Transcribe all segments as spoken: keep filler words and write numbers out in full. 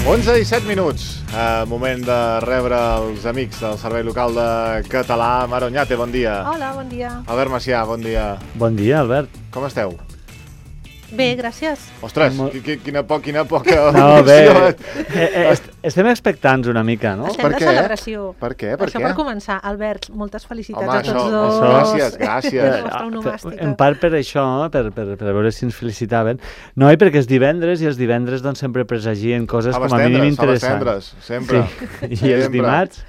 onze i set minuts. Uh, moment de rebre els amics del Servei Local de Català. Mar Oñate, bon dia. Hola, bon dia. Albert Macià, bon dia. Bon dia, Albert. Com esteu? Bé, gràcies. Ostres, Molt... qui, quina, po quina poca... No, bé, eh, eh, est estem expectants una mica, no? Estem Per de què? celebració. Per què? Per això què? per començar. Albert, moltes felicitats Home, a tots això, dos. això, gràcies, gràcies. La vostra onomàstica. En part per això, per, per, per veure si ens felicitaven. No, i perquè és divendres, i els divendres doncs, sempre presagien coses A les com a mínim tendres, a les interessants. tendres, sempre. Sí. I els Sempre. dimarts...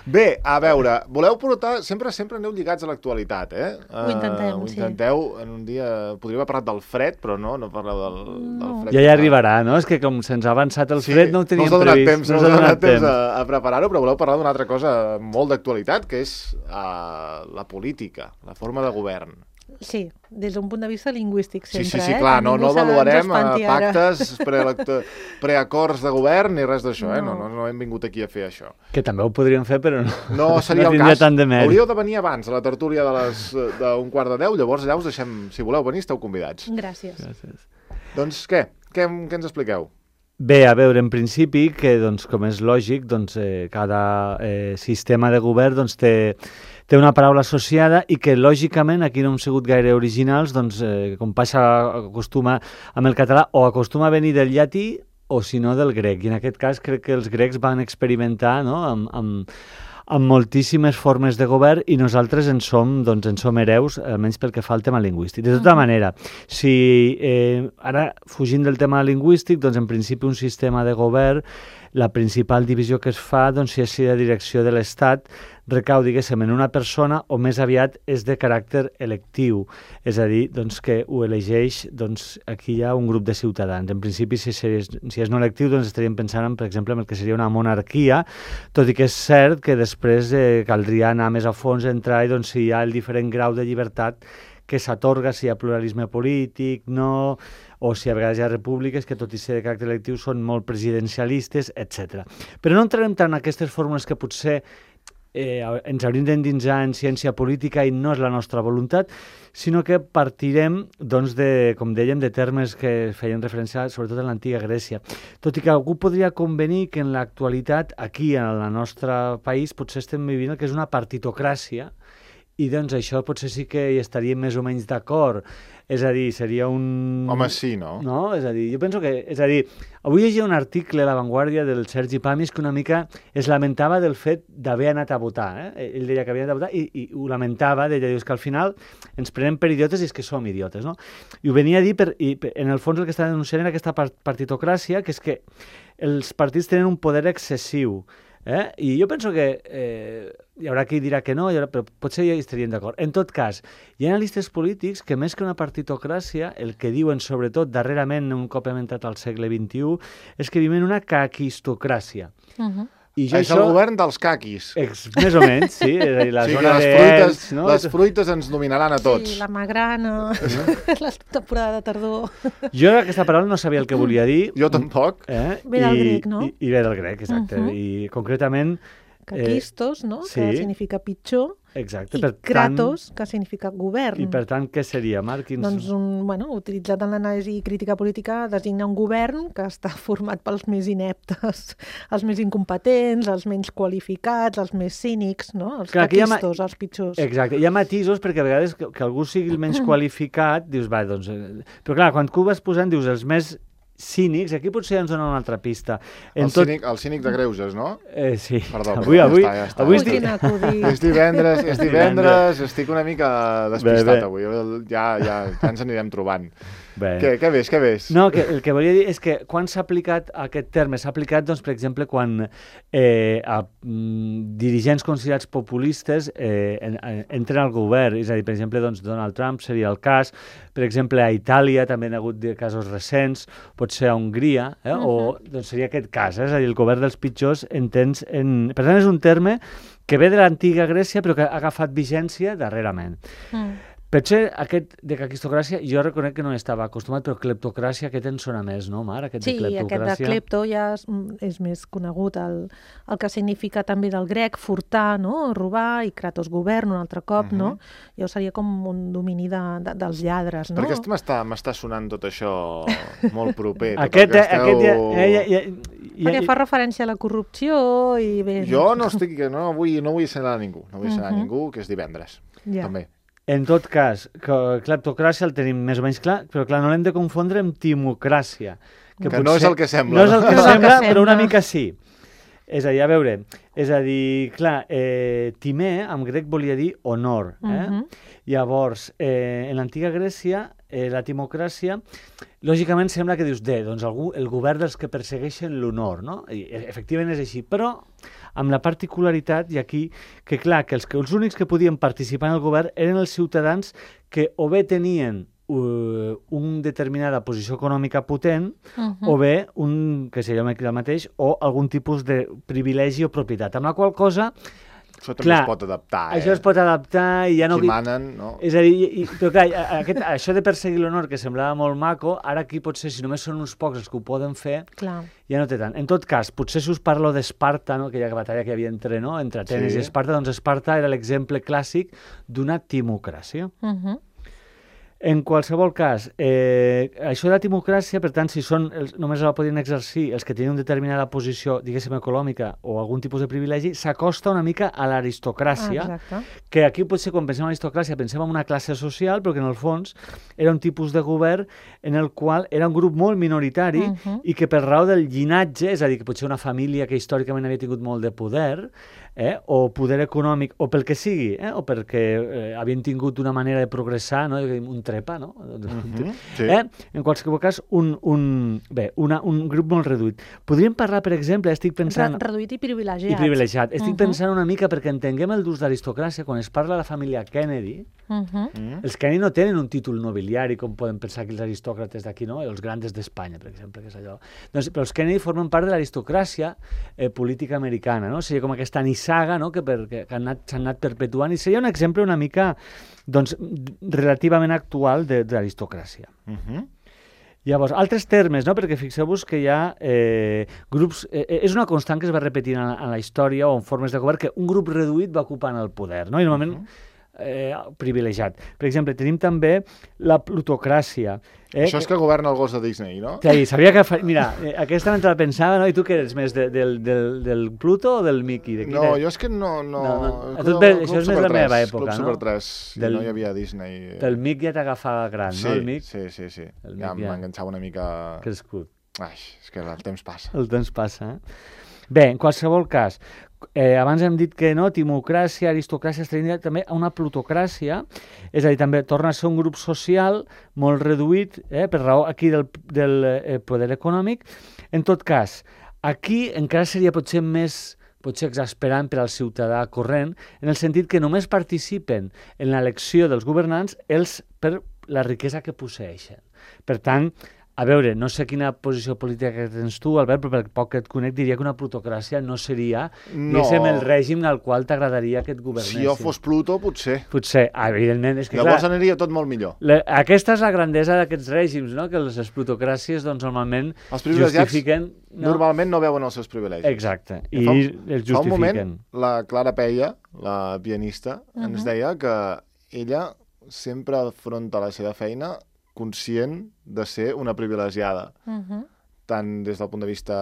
Bé, a veure, voleu portar... Sempre sempre aneu lligats a l'actualitat, eh? Ho intentem, uh, ho sí. intenteu en un dia... Podríem haver parlat del fred, però no, no parleu del, del fred. Ja hi arribarà, no? És que com se'ns ha avançat el Sí, fred no ho teníem no us ha donat previst. temps, no us ha donat temps a, a preparar-ho, però voleu parlar d'una altra cosa molt d'actualitat, que és uh, la política, la forma de govern. Sí, des d'un punt de vista lingüístic Sí, sempre, sí, sí, eh? clar, Que no, ningú no se- ens avaluarem uh, espanti ara. pactes, preelecto- preacords de govern ni res d'això, eh? No, No. no, no hem vingut aquí a fer això. Que també ho podríem fer, però no, No seria no el tindria cas. tant de mèrit. Hauríeu de venir abans a la tertúlia de les d'un quart de deu, llavors allà us deixem, si voleu venir, esteu convidats. Gràcies. Gràcies. Doncs què? Què, què ens expliqueu? Bé, a veure, en principi, que doncs, com és lògic, doncs, eh, cada eh, sistema de govern doncs, té, té una paraula associada i que, lògicament, aquí no hem sigut gaire originals, doncs, eh, com passa, acostuma amb el català, o acostuma a venir del llatí o, si no, del grec. I en aquest cas crec que els grecs van experimentar, no?, amb, amb, amb moltíssimes formes de govern i nosaltres en som, doncs, en som hereus, almenys pel que fa al tema lingüístic. De tota manera, si eh, ara, fugint del tema lingüístic, doncs en principi un sistema de govern, la principal divisió que es fa, doncs, si és si la direcció de l'Estat recau, diguéssim, en una persona o més aviat és de caràcter electiu, és a dir, doncs, que ho elegeix, doncs, aquí hi ha un grup de ciutadans. En principi, si és, si és no electiu, doncs estaríem pensant, en, per exemple, en el que seria una monarquia, tot i que és cert que després eh, caldria anar més a fons, entrar i doncs, si hi ha el diferent grau de llibertat que s'atorga, si hi ha pluralisme polític, no, o si a vegades hi ha repúbliques que, tot i ser de caràcter electiu, són molt presidencialistes, etcètera. Però no entrarem tant en aquestes fórmules que potser eh, ens hauríem d'endinsar en ciència política i no és la nostra voluntat, sinó que partirem, doncs, de, com dèiem, de termes que feien referència sobretot en l'antiga Grècia. Tot i que algú podria convenir que en l'actualitat, aquí, en el nostre país, potser estem vivint el que és una partitocràcia, i doncs això potser sí que hi estaríem més o menys d'acord. És a dir, seria un... Home, sí, no? No? És a dir, jo penso que... És a dir, avui llegia un article a La Vanguardia del Sergi Pamis que una mica es lamentava del fet d'haver anat a votar. Eh? Ell deia que havia anat a votar i, i ho lamentava, deia, dius que al final ens prenem per idiotes i és que som idiotes, no? I ho venia a dir, per, i en el fons el que està denunciant era aquesta partitocràcia, que és que els partits tenen un poder excessiu. Eh? I jo penso que eh, hi haurà qui dirà que no, hi haurà, però potser ja hi estaríem d'acord. En tot cas, hi ha analistes polítics que més que una partitocràcia, el que diuen sobretot darrerament, un cop hem entrat al segle vint-i-u, és que vivim una caquistocràcia. Uh -huh. I jo És això... el govern dels caquis. Ex, més o menys, sí. És a dir, la Sí, que zona les de fruites, Elx, no? les fruites ens dominaran a tots. Sí, la magrana, la temporada de tardor. Jo aquesta paraula no sabia el que volia dir. Jo tampoc. Eh? Ve del I, grec, no? I, I ve del grec, exacte. Uh-huh. I concretament... Caquistos, no? sí. Que significa pitjor. Exacte. I per kratos, tant, que significa govern. I per tant, què seria, Marc? Quins... Doncs, un, bueno, utilitzat en l'anàlisi crítica política, designa un govern que està format pels més ineptes, els més incompetents, els menys qualificats, els més cínics, no? Els Clar, aquí hi ha ma- caquistos, els pitjors. Exacte, hi ha matisos perquè a vegades que, que algú sigui el menys qualificat, dius, va, doncs... Eh... Però clar, quan tu vas posant, dius, els més cínics, aquí potser ens dona una altra pista. En El, cínic, el cínic de greuges, no? Eh, sí. Perdó, avui, perdó, avui, ja està, ja està. avui Ui, estic... quin acudit. És divendres, és divendres, estic una mica despistat Bé, bé. avui. Ja, ja, ja ens anirem trobant. Bé. Què, què ves, què ves? No, que, el que volia dir és que quan s'ha aplicat aquest terme, s'ha aplicat, doncs, per exemple, quan eh, a, mm, dirigents considerats populistes eh, en, en, entren al govern, és a dir, per exemple, doncs, Donald Trump seria el cas, per exemple, a Itàlia també hi ha hagut de casos recents, potser a Hongria, eh, uh -huh. o doncs, seria aquest cas, eh, és a dir, el govern dels pitjors entens en... Per tant, és un terme que ve de l'antiga Grècia però que ha agafat vigència darrerament. Mm. Potser aquest de aristocràcia, jo reconec que no estava acostumat, però cleptocràcia, aquest en sona més, no, Mar? Aquest sí, de aquest de clepto ja és, és més conegut, el, el que significa també del grec, furtar, no? Robar, i kratos govern un altre cop, uh-huh. no? Ja seria com un domini de, de, dels lladres, no? Perquè m'està m'està sonant tot això molt proper. Tot aquest, el que esteu... aquest ja, ja, ja, ja, ja, Perquè fa referència a la corrupció i bé... Jo no estic, no vull, no vull assenyalar a ningú, no vull assenyalar uh-huh. a ningú, que és divendres, ja. també. En tot cas, cleptocràcia el tenim més o menys clar, però clar, no l'hem de confondre amb timocràcia. Que, que no és el que sembla. No és el que no? sembla, que però una sembla. mica sí. És a dir, a veure, és a dir, clar, eh, timé en grec volia dir honor. Eh? Uh-huh. Llavors, eh, en l'antiga Grècia, eh, la timocràcia, lògicament sembla que dius, de, doncs algú, el govern dels que persegueixen l'honor, no? I efectivament és així, però amb la particularitat, i aquí, que clar, que els, que els únics que podien participar en el govern eren els ciutadans que o bé tenien uh, una determinada posició econòmica potent, uh-huh. o bé un, que seria el mateix, o algun tipus de privilegi o propietat, amb la qual cosa... Això també clar, es pot adaptar, eh? Això es pot adaptar i ja no... Qui manen, no? És a dir, i, però clar, aquest, això de perseguir l'honor, que semblava molt maco, ara aquí potser, si només són uns pocs els que ho poden fer, clar. Ja no té tant. En tot cas, potser si us parlo d'Esparta, no? Aquella batalla que hi havia entre, no? entre Atenes sí. i Esparta, doncs Esparta era l'exemple clàssic d'una timocràcia. Uh-huh. En qualsevol cas, eh, això de la timocràcia, per tant, si són els, només la podien exercir els que tenien una determinada posició, diguéssim, econòmica o algun tipus de privilegi, s'acosta una mica a l'aristocràcia, ah, que aquí potser quan pensem en l'aristocràcia pensem en una classe social, però que en el fons era un tipus de govern en el qual era un grup molt minoritari uh-huh. i que per raó del llinatge, és a dir, que potser una família que històricament havia tingut molt de poder, eh, o poder econòmic, o pel que sigui, eh, o perquè eh, havien tingut una manera de progressar, no? un trepa, no? Uh-huh. Sí. Eh? En qualsevol cas, un, un, bé, una, un grup molt reduït. Podríem parlar, per exemple, estic pensant... Re reduït i privilegiat. I privilegiat. Estic uh-huh. pensant una mica, perquè entenguem el d'ús d'aristocràcia, quan es parla de la família Kennedy, uh-huh. els Kennedy no tenen un títol nobiliari, com poden pensar que els aristòcrates d'aquí, no? Els grandes d'Espanya, per exemple, que és allò. Doncs, però els Kennedy formen part de l'aristocràcia eh, política americana, no? Seria com aquesta nissaga, no? que, per, que han anat, s'han anat perpetuant, i seria un exemple una mica doncs, relativament actual de, de l'aristocràcia. Uh-huh. Llavors, altres termes, no? Perquè fixeu-vos que hi ha eh, grups... Eh, és una constant que es va repetint en, en la història o en formes de govern, que un grup reduït va ocupant el poder, no? I normalment uh-huh. eh, privilegiat. Per exemple, tenim també la plutocràcia. Eh? Això és que governa el gos de Disney, no? Sí, sabia que... Fa... Mira, eh, aquesta mentre la pensava, no? I tu què eres més, de, del, del, del Pluto o del Mickey? De no, és? Jo és que no... no... no, no. Club, bé, això és més la meva època, Club no? Super tres, del, no hi havia Disney. Del Mickey ja t'agafava gran, sí, no? El Mickey? Sí, sí, sí. El ja ja m'enganxava una mica... Crescut. Ai, és que el temps passa. El temps passa, eh? Bé, en qualsevol cas, eh, abans hem dit que no, timocràcia, aristocràcia, es tenia també una plutocràcia, és a dir, també torna a ser un grup social molt reduït, eh, per raó aquí del, del eh, poder econòmic. En tot cas, aquí encara seria potser més potser exasperant per al ciutadà corrent, en el sentit que només participen en l'elecció dels governants els per la riquesa que posseeixen. Per tant, a veure, no sé quina posició política que tens tu, Albert, però per poc que et conec diria que una plutocràcia no seria no. el règim al qual t'agradaria que et governessin. Si jo fos Pluto, potser. Potser, evidentment. És que, llavors clar, aniria tot molt millor. La, aquesta és la grandesa d'aquests règims, no? Que les, les plutocràcies doncs, normalment els justifiquen... No? Normalment no veuen els seus privilegis. Exacte, i fa, els justifiquen. Fa un moment, la Clara Peia, la pianista, uh-huh. ens deia que ella sempre afronta la seva feina conscient de ser una privilegiada, uh-huh. tant des del punt de vista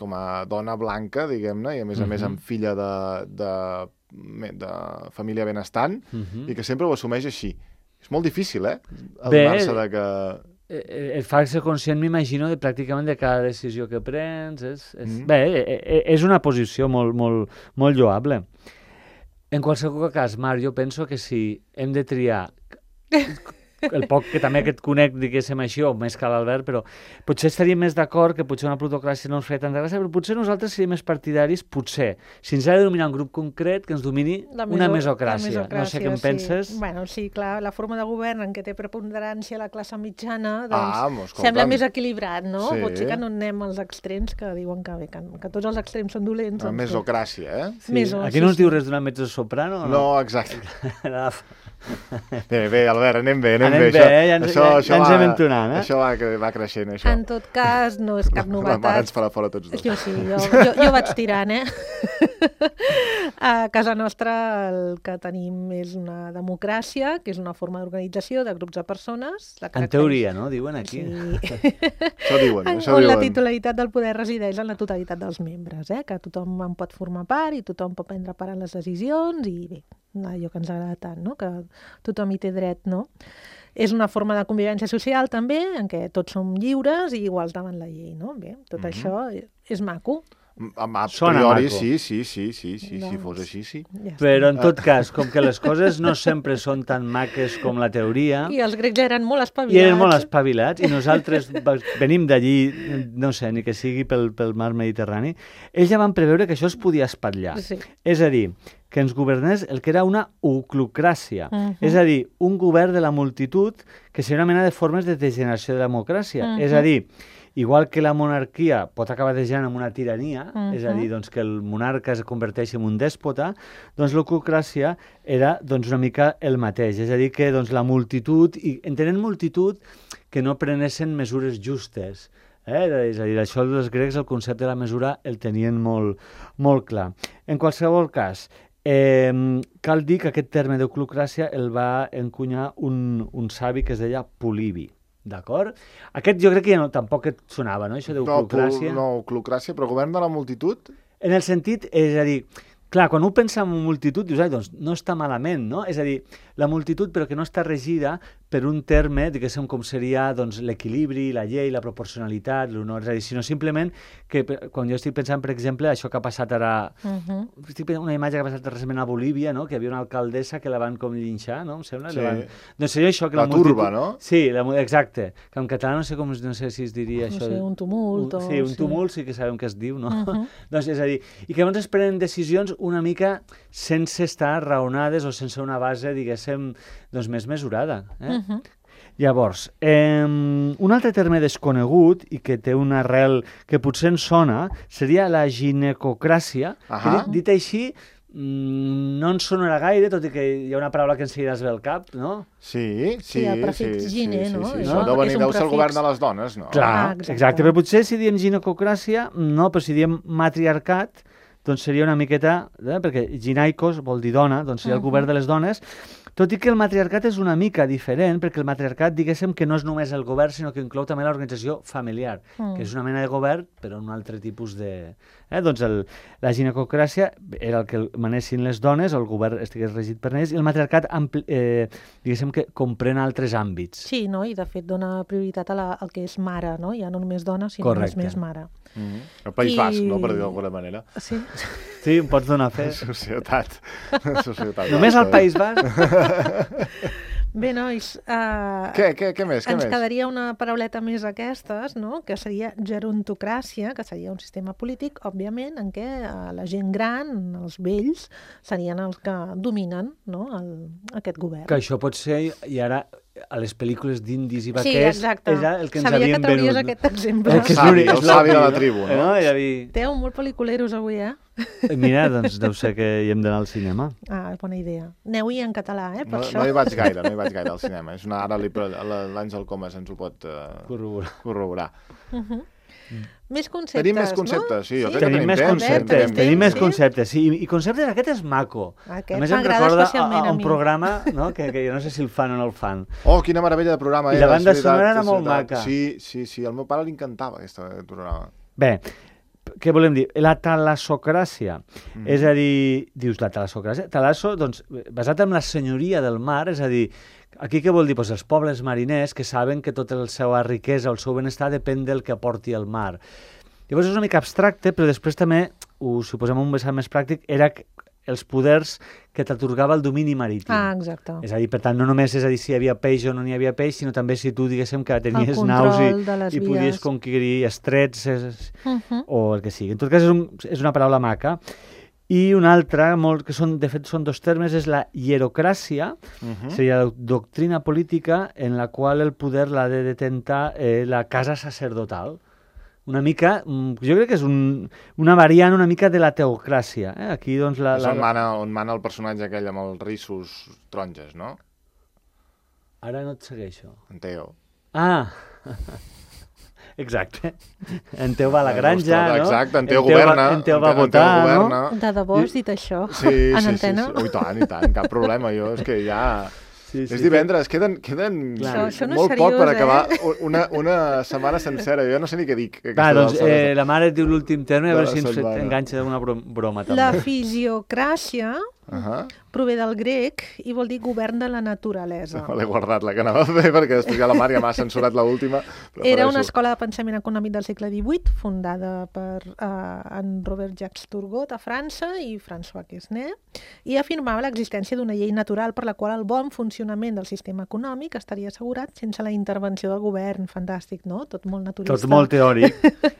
com a dona blanca, diguem-ne, i a més uh-huh. a més amb filla de, de, de família benestant, uh-huh. i que sempre ho assumeix així. És molt difícil, eh? Adonar-se de que... Et fa ser conscient, m'imagino, de pràcticament de cada decisió que prens. És, és... Mm-hmm. Bé, és una posició molt, molt, molt lloable. En qualsevol cas, Marc, jo penso que si hem de triar... el poc que també que et conec, diguéssim així, o més que l'Albert, però potser estaríem més d'acord que potser una plutocràcia no ens feia tanta gràcia, però potser nosaltres seríem més partidaris, potser, si ens ha de dominar un grup concret, que ens domini La meso- una la mesocràcia. mesocràcia, No sé què en sí. penses. Bueno, sí, clar, la forma de govern en què té preponderància la classe mitjana, doncs, Ah, mos escolta'm. sembla més equilibrat, no? Sí. Potser que no anem als extrems que diuen que, bé, que, que tots els extrems són dolents. Una doncs, bé. mesocràcia, eh? Sí. Meso, Aquí sí, no ens sí. diu res d'una mezzosoprano? No, exacte. No? Bé, bé, Albert, anem bé, anem, Anem bé. bé, ja ens- ja- ja ens va- hem entonat, eh? Això va, cre- va creixent, això. En tot cas, no és cap La mare novetat. ens farà fora tots dos. Jo sí, jo, jo, jo vaig tirant, eh? A casa nostra el que tenim és una democràcia, que és una forma d'organització de grups de persones. La En caracteritza- teoria, no? Diuen aquí. Sí. Això diuen, En- això on la diuen. titularitat del poder resideix en la totalitat dels membres, eh? Que tothom en pot formar part i tothom pot prendre part en les decisions i bé, allò que ens agrada tant, no? Que tothom hi té dret, no? És una forma de convivència social també, en què tots som lliures i iguals davant la llei, no? Bé, tot Mhm. això és maco. A, a Sona priori, maco. sí, sí, sí, sí, sí, si Doncs- fos així, sí. Ja està. Però en tot cas, com que les coses no sempre són tan maques com la teoria, I els grecs ja eren molt i espavilats. eren molt espavilats, i nosaltres va- venim d'allí, no sé, ni que sigui pel, pel mar Mediterrani, ells ja van preveure que això es podia espatllar. Sí. És a dir, que ens governés el que era una oclocràcia. Mhm. És a dir, un govern de la multitud que seria una mena de formes de degeneració de la democràcia. Mhm. És a dir, igual que la monarquia pot acabar degenerant en una tirania, Mhm. és a dir, doncs, que el monarca es converteixi en un dèspota, doncs l'oclocràcia era doncs, una mica el mateix. És a dir, que doncs, la multitud, i entenent multitud, que no prenessin mesures justes. Eh? És a dir, això dels grecs, el concepte de la mesura el tenien molt, molt clar. En qualsevol cas, eh, cal dir que aquest terme d'oclocràcia el va encunyar un, un savi que es deia Polibi. D'acord? Aquest jo crec que ja no, tampoc et sonava, no?, això No, d'oclocràcia. pol- no, oclocràcia, però govern de la multitud? En el sentit, és a dir, clar, quan un pensa en multitud, dius, ai, doncs no està malament, no? És a dir, la multitud, però que no està regida per un terme, diguéssim, com seria doncs, l'equilibri, la llei, la proporcionalitat, l'honor, és a dir, sinó simplement que per- quan jo estic pensant, per exemple, això que ha passat ara, Mhm. estic pensant una imatge que ha passat recentment a Bolívia, no?, que hi havia una alcaldessa que la van com llinxar, no?, em sembla? Sí. La van... Doncs seria això, que la, La multitud... turba, no? Sí, la... mu- exacte. Que en català no sé com, no sé si es diria No això. sé, un tumult o- Sí, un sí. tumult sí que sabem què es diu, no? Mhm. Doncs és a dir, i que llavors es prenen decisions una mica sense estar raonades o sense una base, diguéssim, doncs més mesurada. Eh? Mhm. Llavors, eh, un altre terme desconegut i que té una arrel que potser ens sona seria la ginecocràcia. Ahà. Que, dit així, mm, no ens sonarà gaire, tot i que hi ha una paraula que ens seguiràs bé al cap, no? Sí, sí, Sí, el prefix sí, gine, sí, no? Sí, És Això un- deu venir, és un deu ser el prefix. govern de les dones, no? Clar, Ah, exacte. exacte. Però potser si diem ginecocràcia, no, però si diem matriarcat, doncs seria una miqueta, eh, perquè ginaikos vol dir dona, doncs seria el Mhm. govern de les dones, tot i que el matriarcat és una mica diferent, perquè el matriarcat, diguéssim, que no és només el govern, sinó que inclou també l'organització familiar, Mm. que és una mena de govern, però un altre tipus de... Eh? Doncs el, la ginecocràcia era el que manessin les dones, el govern estigués regit per ells, i el matriarcat, ampli, eh, diguéssim, que comprèn altres àmbits. Sí, no? I de fet dona prioritat a la, al que és mare, no? Ja no només dona, sinó Correcte. només més mare. Mm. El País I- Basc, no?, per dir d'alguna manera. Sí. Sí, em pots donar fe. Societat. Societat Només al basca. País Basc? Bé, nois, uh, Què, què, què més, què ens més? quedaria una parauleta més aquestes, no? Que seria gerontocràcia, que seria un sistema polític, òbviament, en què uh, la gent gran, els vells, serien els que dominen, no? El, aquest govern. Que això pot ser, i ara a les pel·lícules d'indis i Sí, vaquers, exacte. era el que ens Sabia havien que trauries venut. aquest exemple. Eh, que és Savi, l'únic- el és savi de la l'obvi, tribu, no? no? I havia... Teu molt pel·liculeros avui, eh? Mira, doncs deu ser que hi hem d'anar al cinema. Ah, bona idea. Aneu-hi en català, eh? Per No, això. no hi vaig gaire, no hi vaig gaire al cinema. És una, ara li- l'Àngel Comas ens ho pot uh, Corroborar. corroborar. Uh-huh. Més conceptes, Tenim més conceptes, no? sí, jo crec que Tenim tenim més temps, conceptes, tenim tenim temps, més sí. conceptes, sí, i, i conceptes, aquest és maco. Aquest a més em m'agrada recorda a, especialment a a un mi. programa, no?, que, que jo no sé si el fan o no el fan. Oh, quina meravella de programa I era. la banda és veritat, sonora era és molt veritat. maca. Sí, sí, sí, al meu pare li encantava aquest programa. Bé, què volem dir? La talassocràcia. Mm. És a dir, dius, la talassocràcia? Talasso, doncs, basat en la senyoria del mar, és a dir, aquí què vol dir? Pues els pobles mariners que saben que tota la seva riquesa, el seu benestar, depèn del que aporti el mar. Llavors és una mica abstracte, però després també, ho, si ho posem en un vessant més pràctic, era els poders que t'atorgava el domini marítim. Ah, exacte. És a dir, per tant, no només és a dir si hi havia peix o no n'hi havia peix, sinó també si tu, diguéssim, que tenies naus i, i podies conquerir estrets és, uh -huh. o el que sigui. En tot cas, és, un, és una paraula maca. I una altra, molt, que són, de fet són dos termes, és la hierocràcia, uh-huh. seria la doctrina política en la qual el poder l'ha de detentar eh, la casa sacerdotal. Una mica, jo crec que és un, una variant una mica de la teocràcia. Eh? Aquí, doncs, la, és la... on, mana, on mana el personatge aquell amb els rissos taronges, no? Ara no et segueixo. En Teo. Ah, exacte. En Teo va a la granja, no? Exacte, en Teo governa. En Teo va votar, no? De debò has dit això, sí, en sí, antena? Sí, sí. Oh, i tant, i tant, cap problema. Jo és que ja... Sí, sí, és divendres, queden, queden això, això no molt seriós, poc per acabar eh? una, una setmana sencera. Jo no sé ni què dic. Va, doncs, eh, la mare et diu l'últim terme, a veure si ens setmana. enganxa d'una broma, també. La fisiocràcia uh -huh. prové del grec i vol dir govern de la naturalesa. Me l'he guardat, la que anava a fer, perquè després ja la Mar ja m'ha censurat l'última. Era una escola de pensament econòmic del segle divuit, fundada per uh, en Robert-Jacques Turgot a França i François Quesnay, i afirmava l'existència d'una llei natural per la qual el bon funcionament del sistema econòmic estaria assegurat sense la intervenció del govern. Fantàstic, no? Tot molt naturalista. Tot molt teòric,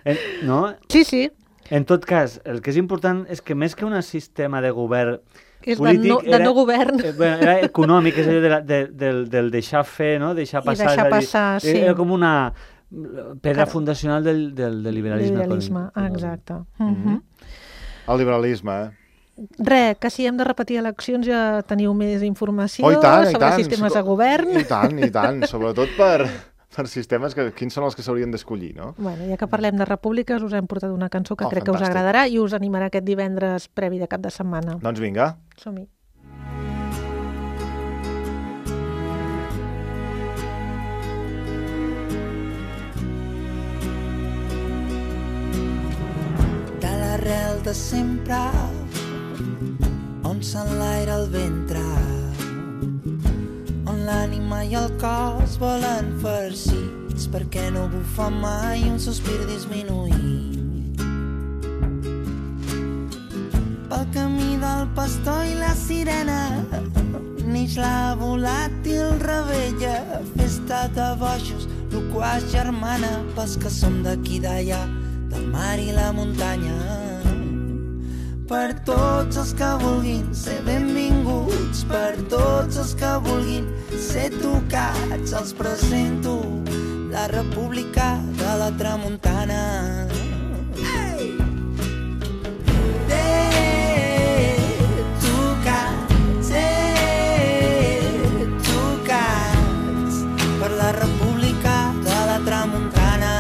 eh, no? Sí, sí. En tot cas, el que és important és que més que un sistema de govern és polític, de no, de era, no govern. Eh, bueno, era econòmic, és allò de la, de, del, del deixar fer, no? Deixar passar. I deixar passar, dir, sí. Era com una pedra fundacional del, del, del liberalisme. Liberalisme, econòmic. Exacte. Uh -huh. El liberalisme, eh? Res, que si hem de repetir eleccions ja teniu més informació oh, i tant, sobre i tant. sistemes de govern. I tant, i tant, sobretot per... per sistemes, que, quins són els que s'haurien d'escollir, no? Bueno, ja que parlem de repúbliques, us hem portat una cançó que oh, crec fantàstic. que us agradarà i us animarà aquest divendres previ de cap de setmana. Doncs vinga. Som-hi. De l'arrel de sempre, on s'enlaira el ventre, l'ànima i el cos volen farcits perquè no bufa mai un sospir disminuït. Pel camí del pastor i la sirena neix la volàtil rebella, festa de bojos, loquaç germana pels que som d'aquí d'allà, del mar i la muntanya. Per tots els que vulguin ser benvinguts, per tots els que vulguin ser tocats, els presento la República de la Tramuntana. Hey! Eh, tocats, eh, tocats per la República de la Tramuntana.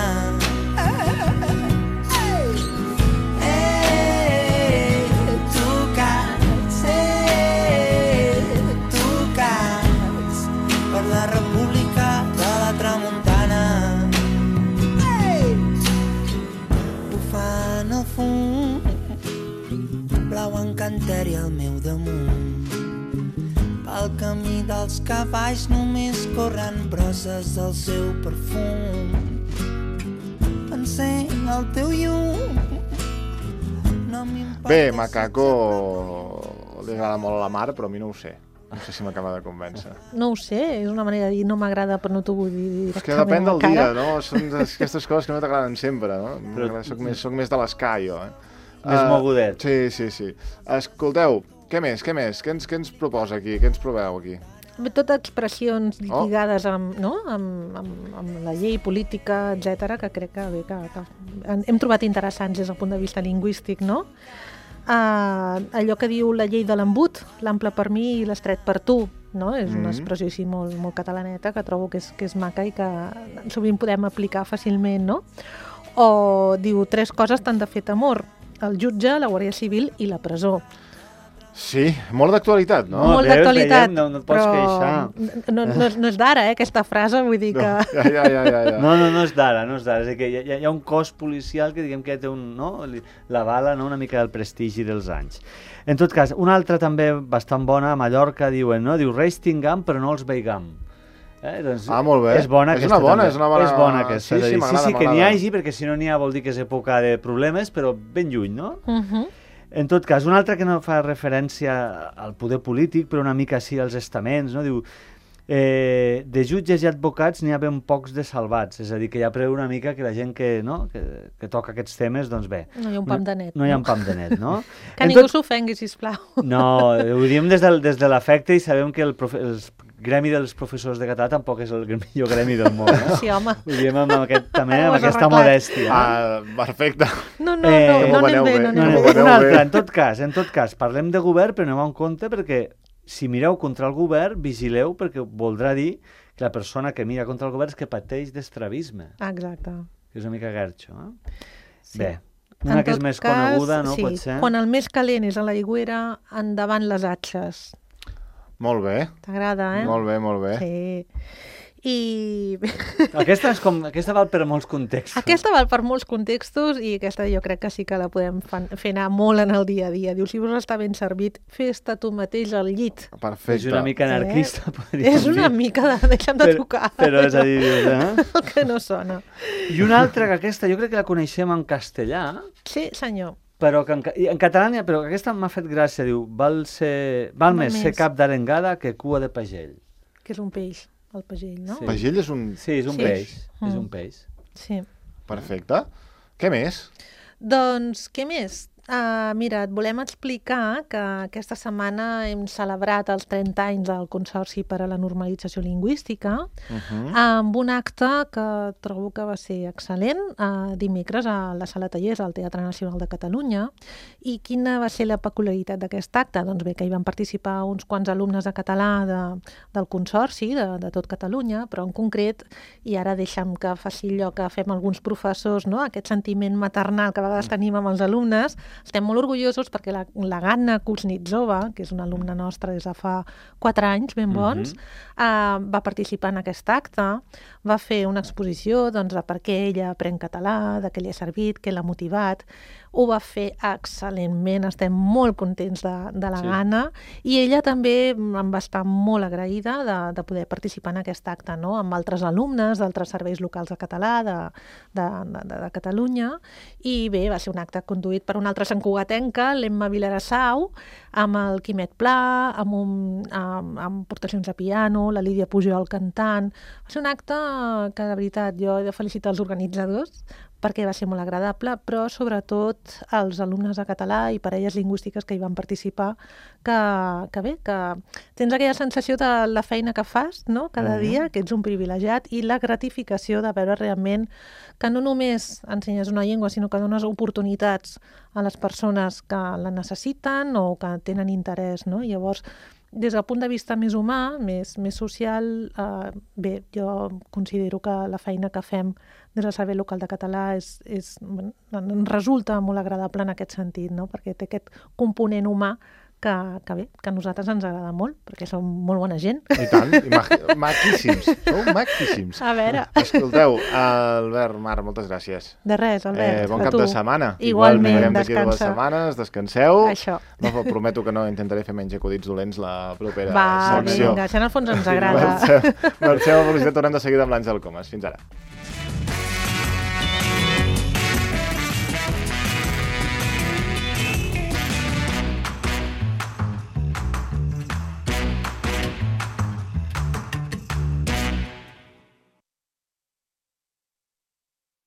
Blau encanteri al meu damunt, pel camí dels cavalls només corren brosses del seu perfum. Encén el teu llum, no m'importa. Bé, Macaco li agrada molt a la Mar, però a mi no ho sé. No sé si m'acaba de convèncer. No ho sé, és una manera de dir no m'agrada, però no t'ho vull dir directament. És que depèn del dia, no? Són aquestes coses que no t'agraden sempre, no? Però... Soc més, soc més de l'escai, jo, eh? Més uh, mogudet. Sí, sí, sí. Escolteu, què més, què més? Què ens, què ens proposa aquí? Què ens proveu aquí? Tot expressions lligades amb, no? amb, amb, amb la llei política, etcètera, que crec que, bé, que, que hem trobat interessants des del punt de vista lingüístic, no? Uh, allò que diu la llei de l'embut, l'ample per mi i l'estret per tu, no? És una expressió així molt, molt catalaneta que trobo que és, que és maca i que sovint podem aplicar fàcilment, no? O diu tres coses t'han de fet amor, el jutge, la Guàrdia Civil i la presó. Sí, molt d'actualitat, no? no molt d'actualitat, no, no et pots però queixar. No, no, no és d'ara, eh, aquesta frase, vull dir que... No, ja, ja, ja, ja, ja. No, no, no és d'ara, no és d'ara. És que hi ha, hi ha un cos policial que diguem que té un, no? la bala, no? Una mica del prestigi dels anys. En tot cas, una altra també bastant bona, a Mallorca diuen, no? Diu, Reis tinguem, però no els veigam. Eh? Doncs ah, molt bé. És bona és aquesta una bona, també. És una bona, és bona aquesta. Sí, sí, m'agrada, sí, sí, que n'hi hagi, perquè si no n'hi ha vol dir que és època de problemes, però ben lluny, no? Uh -huh. En tot cas, un altre que no fa referència al poder polític, però una mica sí als estaments, no? Diu, eh, de jutges i advocats n'hi ha ben pocs de salvats, és a dir, que ja preveu una mica que la gent que, no? que, que toca aquests temes, doncs bé. No hi ha un pam de net. No, no hi ha un pam de net, no? Que ningú tot... s'ofengui, sisplau. No, ho diem des, del, des de l'afecte i sabem que el, profe... el gremi dels professors de català tampoc és el millor gremi del món, no? Sí, home. Ho diem amb, aquest, també, amb aquesta modèstia. Ah, perfecte. No, no, no, eh, no anem bé, no anem bé. Un altre, en tot cas, en tot cas, parlem de govern, però anem en compte perquè si mireu contra el govern, vigileu, perquè voldrà dir que la persona que mira contra el govern és que pateix d'estrabisme. Exacte. Que és una mica garxo, eh? Sí. Bé, una en que és més cas, coneguda, no? Sí, pot ser? Quan el més calent és a l'aigüera, endavant les atxes. Molt bé. T'agrada, eh? Molt bé, molt bé. Sí. I... Aquesta, és com, aquesta val per molts contextos. Aquesta val per molts contextos i aquesta jo crec que sí que la podem fer anar molt en el dia a dia. Diu, si vos està ben servit, fes-te tu mateix al llit. Perfecte. És una mica anarquista, eh? podríem dir. És una mica de... Deixa'm de tocar. Però, però és a dir, eh? El que no sona. I una altra, que aquesta jo crec que la coneixem en castellà. Sí, senyor. Però que en, en català, però aquesta m'ha fet gràcia, diu, val, ser, val més ser cap d'arengada que cua de pagell. Que és un peix. El pagell, no? Sí. Pagell és un... Sí, és un sí. peix. Mm. És un peix. Sí. Perfecte. Què més? Doncs, què més? Uh, mira, et volem explicar que aquesta setmana hem celebrat els trenta anys del Consorci per a la Normalització Lingüística uh -huh. amb un acte que trobo que va ser excel·lent, uh, dimecres a la Sala Tallers, al Teatre Nacional de Catalunya. I quina va ser la peculiaritat d'aquest acte? Doncs bé, que hi van participar uns quants alumnes de català de, del Consorci, de, de tot Catalunya, però en concret, i ara deixa'm que faci allò que fem alguns professors, no? Aquest sentiment maternal que a vegades tenim amb els alumnes. Estem molt orgullosos perquè la, la Ganna Kuznitsova, que és una alumna nostra des de fa quatre anys, ben bons, uh-huh. uh, va participar en aquest acte, va fer una exposició doncs, de per què ella aprèn català, de què li ha servit, què l'ha motivat. Ho va fer excel·lentment, estem molt contents de, de la sí. Ganna, i ella també em va estar molt agraïda de, de poder participar en aquest acte, no? Amb altres alumnes d'altres serveis locals de català de, de, de, de Catalunya, i bé, va ser un acte conduït per un altre santcugatenca, l'Emma Vilarassau, amb el Quimet Pla, amb, un, amb, amb portacions de piano, la Lídia Pujol cantant. Va ser un acte que, de veritat, jo he de felicitar els organitzadors, perquè va ser molt agradable, però sobretot els alumnes de català i parelles lingüístiques que hi van participar, que, que bé, que tens aquella sensació de la feina que fas, no?, cada dia, que ets un privilegiat, i la gratificació de veure realment que no només ensenyes una llengua, sinó que dones oportunitats a les persones que la necessiten o que tenen interès, no? Llavors, des del punt de vista més humà, més, més social, eh, bé, jo considero que la feina que fem des del Servei Local de Català és, és, ens resulta molt agradable en aquest sentit, no? Perquè té aquest component humà que, que bé, que a nosaltres ens agrada molt, perquè som molt bona gent. I tant, i ma maquíssims, sou maquíssims. A veure. Escolteu, Albert, Mar, moltes gràcies. De res, Albert, eh, bon a cap tu. de setmana. Igualment, Igualment descansa. Dues setmanes, descanseu. Això. No, prometo que no intentaré fer menys acudits dolents la propera Va, secció. vinga, això en el fons ens agrada. Marxeu, marxeu a velocitat, tornem de seguida amb l'Àngel Comas. Fins ara.